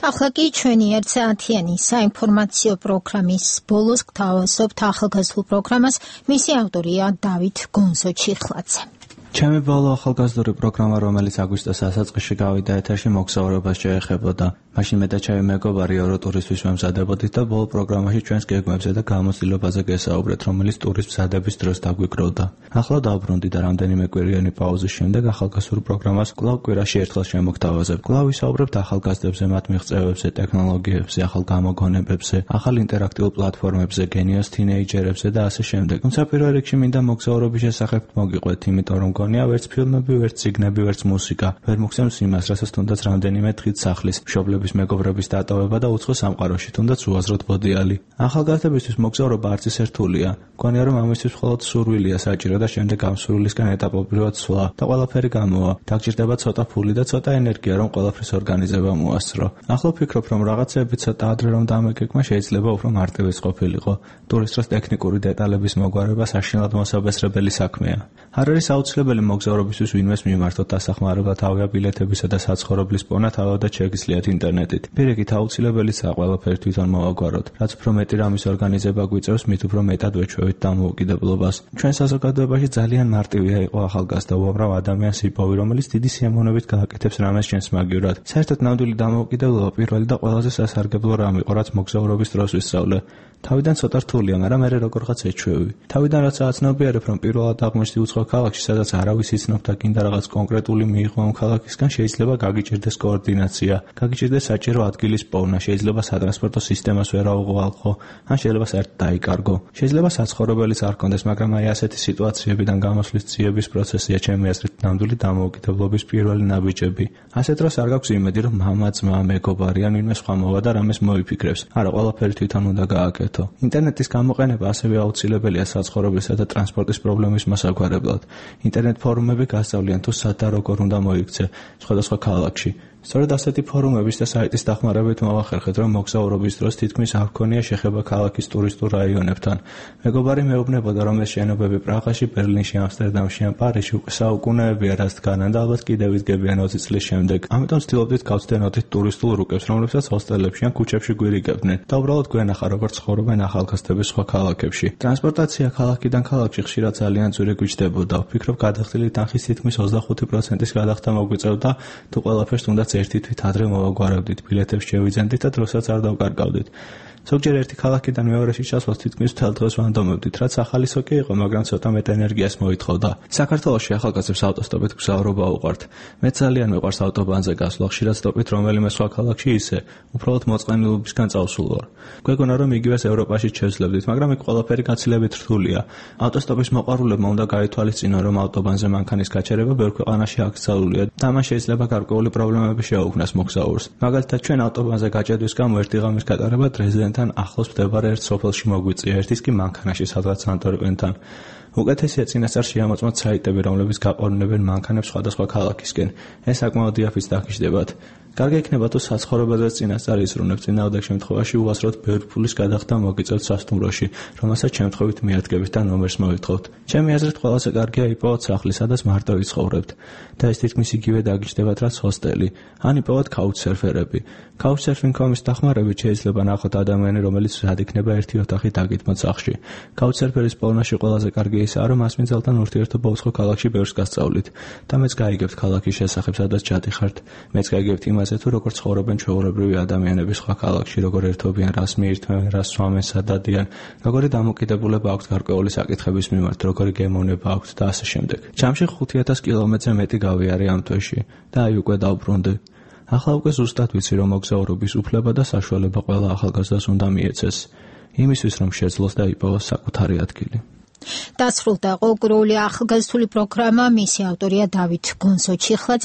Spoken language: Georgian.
ახლა კი ჩვენი 1 საათიანი საინფორმაციო პროგრამის ბოლოს გთავაზობთ ახალგაზრდულ პროგრამას, მისი ავტორია დავით გონსო-ჩიხლაძე. ჩემი ბოლო ახალგაზრდული პროგრამა, რომელიც აგვისტოს დასაწყისში გავიდა ეთერში, მოგზაურობას შეეხებოდა. მაშინ მე და ჩემი მეგობარი ევროტურისთვის ვემზადებოდით და ბოლო პროგრამაში ჩვენს გეგმებზე და გამოცდილებაზე გესაუბრეთ, რომელიც ტურის მზადების დროს დაგვიკროვდა. ახლა დავბრუნდი და რამდენიმე კვირიანი პაუზის შემდეგ ახალგაზრდულ პროგრამას კვლავ კვირაში ერთხელ შემოგთავაზებ. კვლავ ვისაუბრებთ ახალგაზრდებზე, მათ მიღწევებზე, ტექნოლოგიებზე, ახალ გამოგონებებზე, ახალ ინტერაქტიულ პლატფორმებზე, გენიოს თინეიჯერებზე და ასე შემდეგ. თუმცა პირველ რიგში მინდა მოგზაურობის შესახებ მოგიყვეთ, იმიტომ რომ გონია ვერც ფილმები, ვერც წიგნები, ვერც მუსიკა ვერ მოგცემს იმას, რასაც თუნდაც რამდენიმე დღით სახლის, მშობლების მეგობრების დატოვება და უცხო სამყაროში, თუნდაც უაზროდ მოდიალი. ახალგაზრდებისთვის მოგზაურობა არც ისე რთულია. გონია რომ ამისთვის მხოლოდ სურვილია საჭირო და შემდეგ ამ სურვილისგან ეტაპობრივად სვლა და ყველაფერი გამოვა. დაგჭირდება ცოტა ფული და ცოტა ენერგია, რომ ყველაფრის ორგანიზება მოასწრო. ახლა ვფიქრობ, რომ რაღაცეები ცოტა ადრე რომ დამეგეგმა, შეიძლება უფრო მარტივიც ყოფილიყო. ტურის დროს ტექნიკური დეტალების მოგვარება საშინლად მოსაბესრებელი საქმეა. არ არის აუცილებელი მოგზაურობისთვის ვინმეს მიმართოთ დასახმარებლად ავიაბილეთებისა და საცხოვრებლის პოვნა თავადაც შეგიძლიათ ინტერნეტით. პირიქით აუცილებელია ყველაფერი თვითონ მოვაგვაროთ. რაც უფრო მეტი რამის ორგანიზება გვიწევს, მით უფრო მეტად ვეჩვევით დამოუკიდებლობას. ჩვენ საზოგადოებაში ძალიან მარტივია იყო ახალგაზრდა უამრავ ადამიანს იპოვი, რომელიც დიდი სიამოვნებით გააკეთებს რამეს ჩვენს მაგივრად. საერთოდ ნამდვილი დამოუკიდებლობა პირველი და ყველაზე სასარგებლო რამ იყო, რაც მოგზაურობის დროს ვისწავლე. თავიდან ცოტა რთულია, მაგრამ მე როგორღაც ეჩვევი. თავიდან რაც აცნობიერებ, რომ პირველად აღმოჩნდი უცხო ქალაქში, სადაც არავის იცნობ და კიდე რაღაც კონკრეტული მიიღო ამ ქალაქისგან, შეიძლება გაგიჭირდეს კოორდინაცია, გაგიჭირდეს საჭირო ადგილის პოვნა, შეიძლება სატრანსპორტო სისტემას ვერ აუღალხო, ან შეიძლება საერთოდ დაიკარგო. შეიძლება საცხოვრებელიც არ კონდეს, მაგრამ აი ასეთი სიტუაციებიდან გამოსვლის ძიების პროცესია ჩემი აზრით ნამდვილი დამოუკიდებლობის პირველი ნაბიჯები. ასეთ დროს არ გაქვს იმედი, რომ მამა, ძმა, მეგობარი ან ვინმე სხვა მოვა და რამეს მოიფიქრებს. არა, ყველაფერი თვითონ უნდა გააკეთო. ინტერნეტის გამოყენება ასევე აუცილებელია საცხოვრებლისა და ტრანსპორტის პრობლემის მოსაგვარებლად. ინტერნეტ ფორუმები გასწავლიან თუ სად და როგორ უნდა მოიქცე სხვადასხვა ქალაქში. სწორედ ასეთი ფორუმების და საიტის დახმარებით მოვახერხეთ, რომ მოგზაურობის დროს თითქმის არ გქონია შეხება ქალაქის ტურისტულ რაიონებთან. მეგობარი მეუბნებოდა, რომ ეს შენობები პრაღაში, ბერლინში, ამსტერდამში ან პარიზში უკვე საუკუნეებია რაც დგანან და ალბათ კიდევ იდგებიან 20 წლის შემდეგ. ამიტომ ვცდილობდით გავცდენოდით ტურისტულ რუკებს, რომლებსაც ჰოსტელებში ან ქუჩებში გვირიგებდნენ და უბრალოდ გვენახა, როგორ ცხოვრობენ ახალგაზრდები სხვა ქალაქებში. ტრანსპორტაცია ქალაქიდან ქალაქში ხშირად ძალიან ძვირი გვიჯდებოდა. ვფიქრობ, გადახდილი თანხის თითქმის 25%-ის გადახდა მოგვიწევდა, თუ ყველაფერს თუნდაც ერთი თვით ადრე მოვაგვარებდით, ბილეთებს შევიძენდით და დროსაც არ დავკარგავდით. ზოგჯერ ერთი ქალაქიდან მეორეში ჩასვლას თითქმის მთელ დღეს ვანდომებდით, რაც ახალისო კი იყო, მაგრამ ცოტა მეტ ენერგიას მოითხოვდა. საქართველოში ახალგაზრდებს ავტოსტოპით გზავრობა უყვართ. მე ძალიან მიყვარს ავტობანზე გასვლა, ხშირად სტოპით რომელიმე სხვა ქალაქში ისე, უბრალოდ მოწყენილობისგან წავსულ ვარ. გვეგონა, რომ იგივეს ევროპაში შევძლებდით, მაგრამ იქ ყველაფერი გაცილებით რთულია. ავტოსტოპის მოყვარულებმა უნდა გაითვალისწინონ, რომ ავტობანზე მანქანის გაჩერება ბევრ ქვეყანაში აკრძალულია და ამან შეიძლება გარკვეული პრობლემები შეუქმნას მოგზაურს. მაგალითად, ჩვენ ავტობანზე გაჭედვის გამო ერთი ღამის გატარება დრეზდენთან ახლოს მდებარე ერთ სოფელში მოგვიწია, ერთის კი მანქანაში, სადღაც ანტვერპენთან. უკეთესია წინასწარ შეამოწმოთ საიტები, რომლებიც გაყოლინებენ მანქანებს სხვადასხვა ქალაქისკენ. ეს საკმაოდ იაფიც დაგიჯდებათ. კარგი იქნება თუ საცხოვრებაზე წინასწარ იზრუნებ, წინააღმდეგ შემთხვევაში უასროდ ბევრი ფულის გადახდა მოგიწევთ სასტუმროში, რომელსაც შემთხვევით მიადგებით და ნომერს მოითხოვთ. ჩემი აზრით ყველაზე კარგია იპოვოთ სახლი, სადაც მარტო იცხოვრებთ და ეს თითქმის იგივე დაგიჯდებათ, რაც ჰოსტელი. ან იპოვოთ couchsurferები. couchsurfing.com-ის დახმარებით შეიძლება ნახოთ ადამიანი, რომელიც სად იქნება ერთი ოთახი დაგითმოთ სახლში. couchsurferის პოვნაში ყველაზე კარგი ისაა, რომ მას მიძალთან ურთიერთობა უცხო ქალაქში ბევრს გასწავლით და მეც გაიგებთ ქალაქის შესახებ, სადაც ჩადიხართ. მეც გაიგებთ იმაზე, თუ როგორ ცხოვრობენ ჩვეულებრივი ადამიანები სხვა ქალაქში, როგორ ერთობიან, რას მიირთმევენ, რას სვამენ, სად დადიან, როგორი დამოკიდებულება აქვთ გარკვეული საკითხების მიმართ, როგორი გემოვნება აქვთ და ასე შემდეგ. ჯამში 5000 კილომეტრზე მეტი გავიარე ამ თვეში და აი უკვე დავბრუნდი. ახლა უკვე ზუსტად ვიცი, რომ მოგზაურობის უფლება და საშუალება ყველა ახალგაზრდას უნდა მიეცეს, იმისთვის რომ შეძლოს და იპოვოს საკუთარი ადგილი. დასრულდა ყოველკვირეული ახალგაზრდული პროგრამა, მისი ავტორია დავით გონსო-ჩიხლაძე.